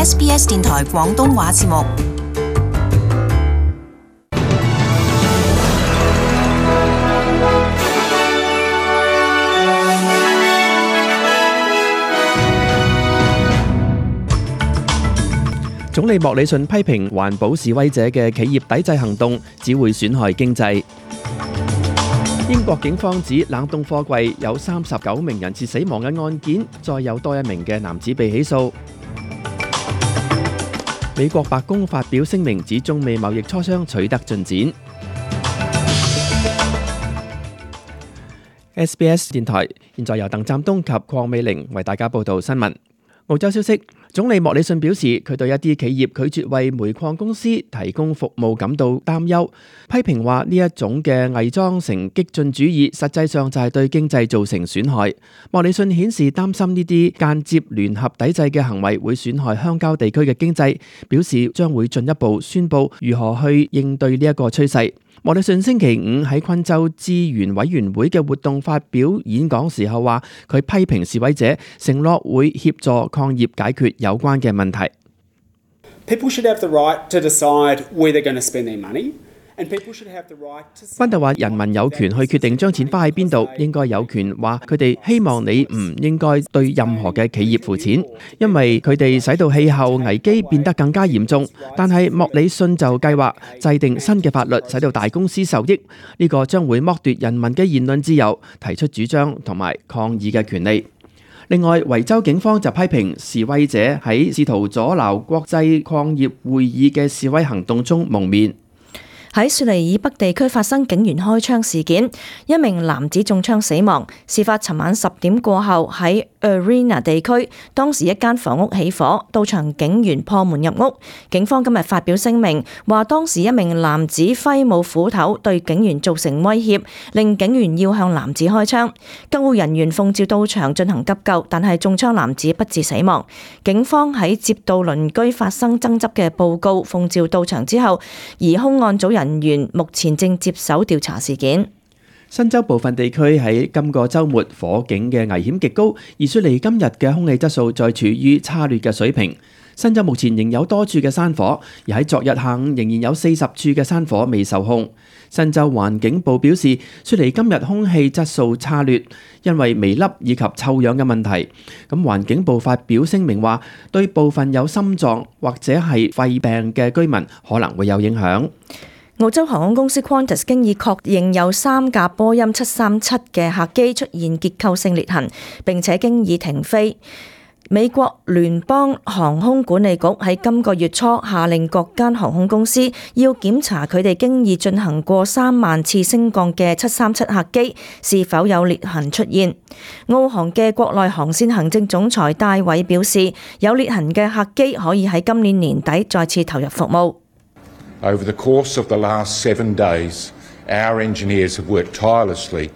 SBS 電台廣東話節目。總理莫里遜批評環保示威者嘅企業抵制行動只會損害經濟。英國警方指冷凍貨櫃有39名人質死亡嘅案件，再有多一名嘅男子被起訴。美國白宮發表聲明指中美貿易磋商取得進展。SBS 電台現在由鄧湛東及鄺美玲為大家報道新聞。澳洲消息，總理莫里遜表示，佢對一啲企業拒絕為煤礦公司提供服務感到擔憂，批評話呢一種嘅偽裝成激進主義，實際上就係對經濟造成損害。莫里遜顯示擔心呢啲間接聯合抵制嘅行為會損害鄉郊地區嘅經濟，表示將會進一步宣佈如何去應對呢一個趨勢。莫里遜星期五喺昆州資源委員會嘅活動發表演講時候話，佢批評示威者承諾會協助礦業解決有關嘅問題。People should have the right to decide where they're going to spend their money. 賓特話：人民有權去決定將錢花喺邊度，應該有權話佢哋希望你唔應該對任何嘅企業付錢，因為佢哋使到氣候危機變得更加嚴重。但係莫里遜就計劃制定新嘅法律，使到大公司受益。呢個將會剝奪人民嘅言論自由、提出主張同埋抗議嘅權利。另外，維州警方就批評示威者喺試圖阻撓國際礦業會議嘅示威行動中蒙面。喺雪梨以北地區發生警員開槍事件，一名男子中槍死亡。事發尋晚10點過後喺 Arena 地區，當時一間房屋起火，到場警員破門入屋。警方今日發表聲明，話當時一名男子揮舞斧頭對警員造成威脅，令警員要向男子開槍。救護人員奉召到場進行急救，但係中槍男子不治死亡。警方喺接到鄰居發生爭執嘅報告，奉召到場之後，而凶案組人員目前正接手調查事件。新州部分地區喺今個週末火警嘅危險極高，而雪梨今日嘅空氣質素再處於差劣嘅水平。新州目前仍有多處嘅山火，而喺昨日下午仍然有40處嘅山火未受控。新州環境部表示，雪梨今日空氣質素差劣，因為微粒以及臭氧嘅問題。咁環境部發表聲明話，對部分有心臟或者係肺病嘅居民可能會有影響。澳洲航空公司 Qantas 經已確認有3架波音737嘅客機出現結構性裂痕，並且經已停飛。美國聯邦航空管理局喺今個月初下令各間航空公司要檢查佢哋經已進行過3萬次升降嘅737客機是否有裂痕出現。澳航嘅國內航線行政總裁戴偉表示，有裂痕嘅客機可以喺今年年底再次投入服務。Over the course of the last 7 days, our engineers have worked tirelessly.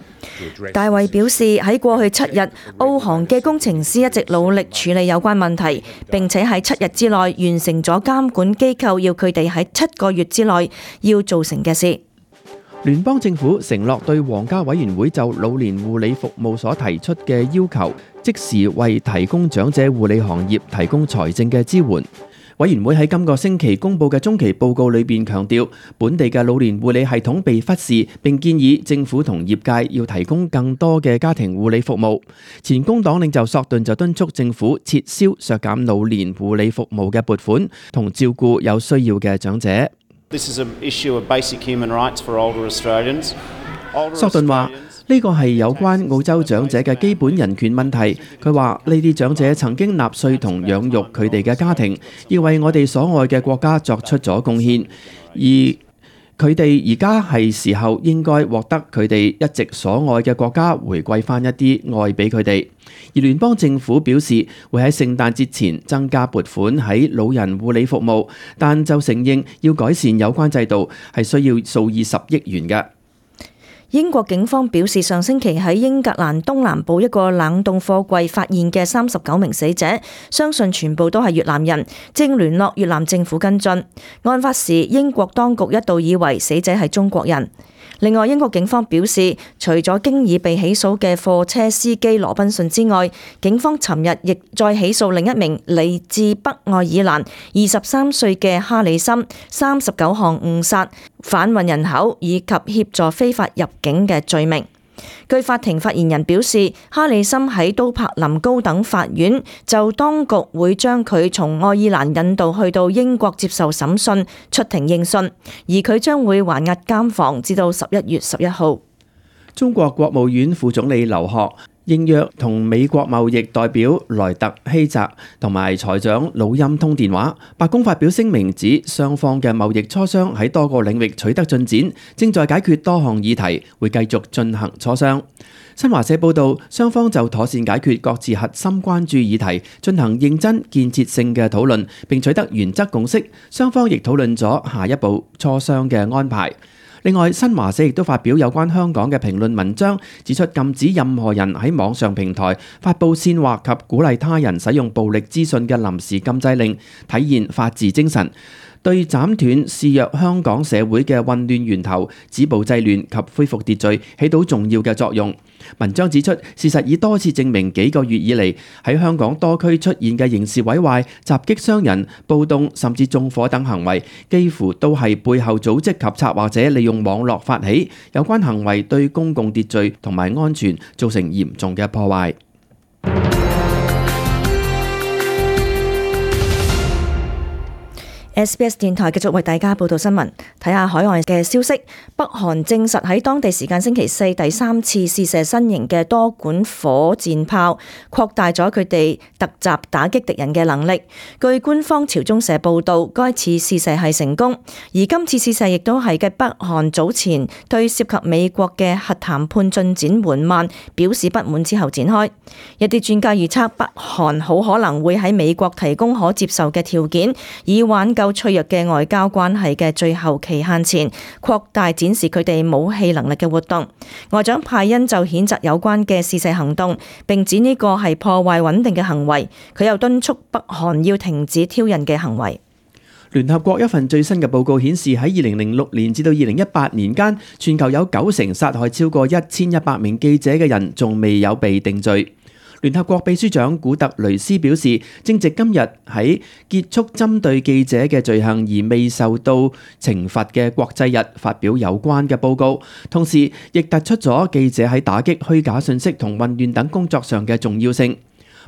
大衛表示，喺過去7日，澳航嘅工程師一直努力處理有關問題，並且喺7日之內完成咗監管機構要佢哋喺7個月之內要做成嘅事。聯邦政府承諾對皇家委員會就老年護理服務所提出嘅要求，即時為提供長者護理行業提供財政嘅支援。委員會喺今個星期公佈嘅中期報告裏邊強調，本地嘅老年護理系統被忽視，並建議政府同業界要提供更多嘅家庭護理服務。前工黨領袖索頓就敦促政府撤銷削減老年護理服務嘅撥款，同照顧有需要嘅長者。This is an issue of basic human rights for older Australians. 索頓話：呢個係有關澳洲長者嘅基本人權問題。佢話呢啲長者曾經納稅同養育佢哋嘅家庭，要為我哋所愛嘅國家作出咗貢獻，而佢哋而家係時候應該獲得佢哋一直所愛嘅國家回饋翻一啲愛俾佢哋。而聯邦政府表示會喺聖誕節前增加撥款喺老人護理服務，但就承認要改善有關制度係需要數以十億元嘅。英國警方表示，上星期喺英格蘭東南部一個冷凍貨櫃發現嘅39名死者，相信全部都係越南人，正聯絡越南政府跟進。案發時，英國當局一度以為死者係中國人。另外，英國警方表示，除咗經已被起訴嘅貨車司機羅賓遜之外，警方尋日亦再起訴另一名嚟自北愛爾蘭23歲嘅哈里森39項誤殺、販運人口以及協助非法入境嘅罪名。據法庭發言人表示，哈里森喺都柏林高等法院就當局會將佢從愛爾蘭引渡去到英國接受審訊出庭應訊，而佢將會還押監房至到11月11號。中國國務院副總理劉鶴應約同美國貿易代表萊特希澤同埋財長魯欽通電話。白宮發表聲明指，雙方嘅貿易磋商喺多個領域取得進展，正在解決多項議題，會繼續進行磋商。新華社報導，雙方就妥善解決各自核心關注議題進行認真建設性嘅討論，並取得原則共識。雙方亦討論咗下一步磋商嘅安排。另外，新華社亦都發表有關香港嘅評論文章，指出禁止任何人喺網上平台發布煽惑及鼓勵他人使用暴力資訊嘅臨時禁制令，體現法治精神，對斬斷肆虐香港社會嘅混亂源頭、止暴制亂及恢復秩序起到重要嘅作用。文章指出，事實已多次證明幾個月以嚟喺香港多區出現嘅刑事毀壞、襲擊傷人、暴動甚至縱火等行為，幾乎都係背後組織及策劃者利用網絡發起。有關行為對公共秩序同埋安全造成嚴重嘅破壞。SBS 電台繼續為大家報道新聞，睇下海外嘅消息。北韓證實喺當地時間星期四第3次試射新型嘅多管火箭炮，擴大咗佢哋突襲打擊敵人嘅能力。據官方朝中社報導，該次試射係成功，而今次試射亦都係繼北韓早前對涉及美國嘅核談判進展緩慢表示不滿之後展開。一啲專家預測，北韓好可能會喺美國提供可接受嘅條件，以挽救脆弱嘅外交關係嘅最後期限前，擴大展示佢哋武器能力嘅活動。外長派恩就譴責有關嘅試射行動，並指呢個係破壞穩定嘅行為。佢又敦促北韓要停止挑釁嘅行為。聯合國一份最新嘅報告顯示，喺2006年至到2018年間，全球有90%殺害超過1100名記者嘅人仲未有被定罪。聯合國秘書長古特雷斯表示，正值今日喺結束針對記者嘅罪行而未受到懲罰嘅國際日發表有關嘅報告，同時亦突出咗記者喺打擊虛假信息同混亂等工作上嘅重要性。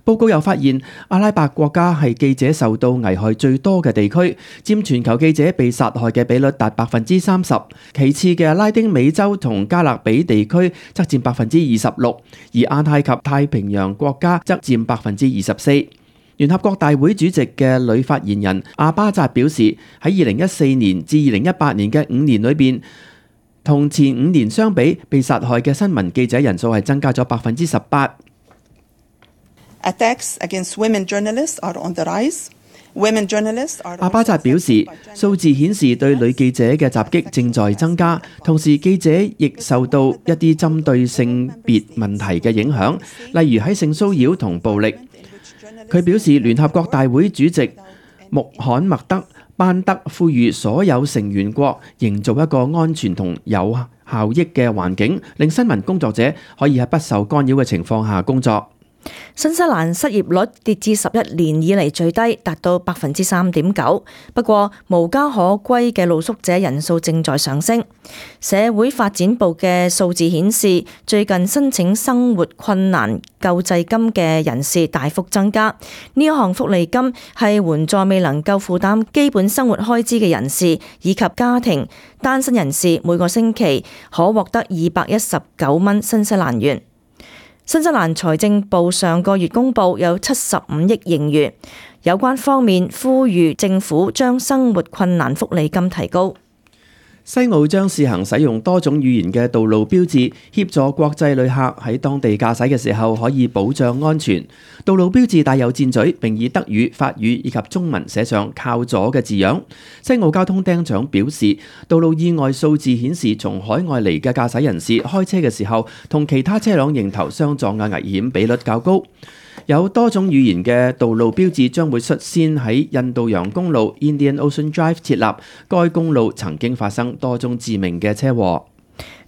報告又發現，阿拉伯國家係記者受到危害最多嘅地區，佔全球記者被殺害嘅比率達30%。其次嘅拉丁美洲同加勒比地區則佔26%，而亞太及太平洋國家則佔24%。聯合國大會主席嘅女發言人阿巴扎表示，喺2014年至2018年嘅5年裏邊，同前5年相比，被殺害嘅新聞記者人數係增加咗18%。Attacks against women journalists are on the rise. Women journalists are. 阿巴扎表示，數字顯示對女記者嘅襲擊正在增加，同時記者亦受到一啲針對性別問題嘅影響，例如喺性騷擾同暴力。佢表示，聯合國大會主席穆罕默德班德呼籲所有成員國營造一個安全同有效益嘅環境，令新聞工作者可以喺不受干擾嘅情況下工作。新西蘭失業率跌至11年以嚟最低，達到3.9%。不過無家可歸嘅露宿者人數正在上升。社會發展部嘅數字顯示，最近申請生活困難救濟金嘅人士大幅增加。呢一項福利金係援助未能夠負擔基本生活開支嘅人士以及家庭單身人士，每個星期可獲得219蚊新西蘭元。新西蘭財政部上個月公布有75億盈餘，有關方面呼籲政府將生活困難福利金提高。西澳將試行使用多種語言嘅道路標誌，協助國際旅客喺當地駕駛嘅時候可以保障安全。道路標誌帶有箭嘴，並以德語、法語以及中文寫上靠左嘅字樣。西澳交通廳長表示，道路意外數字顯示，從海外嚟嘅駕駛人士開車嘅時候，同其他車輛迎頭相撞嘅危險比率較高。有多種語言嘅道路標誌將會率先喺印度洋公路 Indian Ocean Drive 設立，該公路曾經發生多宗致命嘅車禍。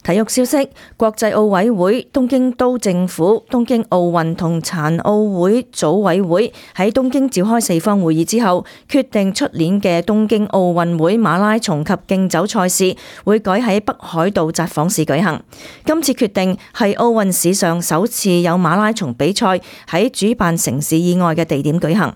體育消息，國際奧委會、東京都政府、東京奧運同殘奧會組委會喺東京召開4方會議之後，決定出年嘅東京奧運會馬拉松及競走賽事會改喺北海道札幌市舉行。今次決定係奧運史上首次有馬拉松比賽喺主辦城市以外嘅地點舉行。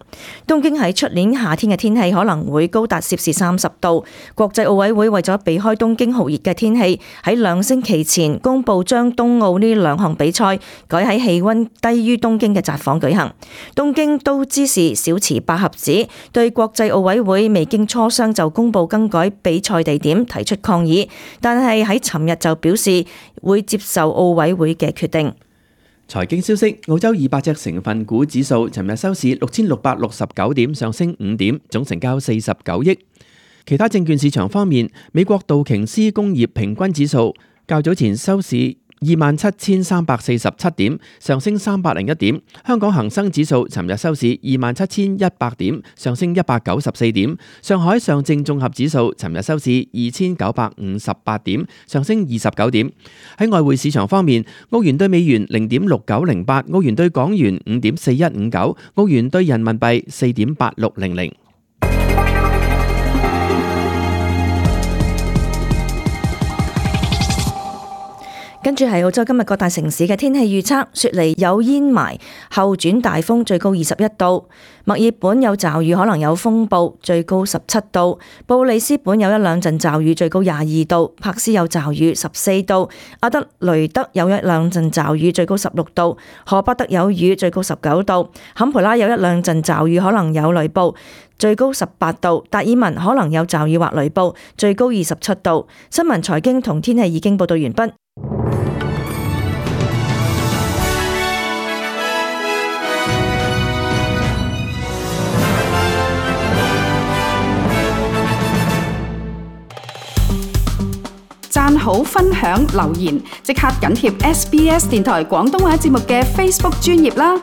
東京喺出年夏天嘅天氣可能會高達攝氏30度，國際奧委會為咗避開東京酷熱嘅天氣，喺2星期前公布將東奧呢2項比賽改喺氣溫低於東京嘅札幌舉行。東京都知事小池百合子對國際奧委會未經磋商就公布更改比賽地點提出抗議，但係喺尋日就表示會接受奧委會嘅決定。財經消息，澳洲200隻成分股指數尋日收市6669點，上升5點，總成交49億。其他證券市場方面，美國道瓊斯工業平均指數較早前收市27,347點，上升301點。香港恒生指數尋日收市27,100點，上升194點。上海上證綜合指數尋日收市2,958點，上升29點。喺外匯市場方面，澳元對美元0.6908，澳元對港元5.4159，澳元對人民幣4.8600。跟住係澳洲今日各大城市嘅天氣預測，雪梨有煙霾，後轉大風，最高21度；墨爾本有驟雨，可能有風暴，最高17度；布里斯本有1-2陣驟雨，最高22度；柏斯有驟雨14度；阿德雷德有1-2陣驟雨，最高16度；荷伯特有雨，最高19度；坎培拉有1-2陣驟雨，可能有雷暴，最高18度；達爾文可能有驟雨或雷暴，最高27度。新聞財經同天氣已經報道完畢。讚好、分享、留言，即刻緊貼SBS 電台廣東話節目嘅 Facebook 專頁啦！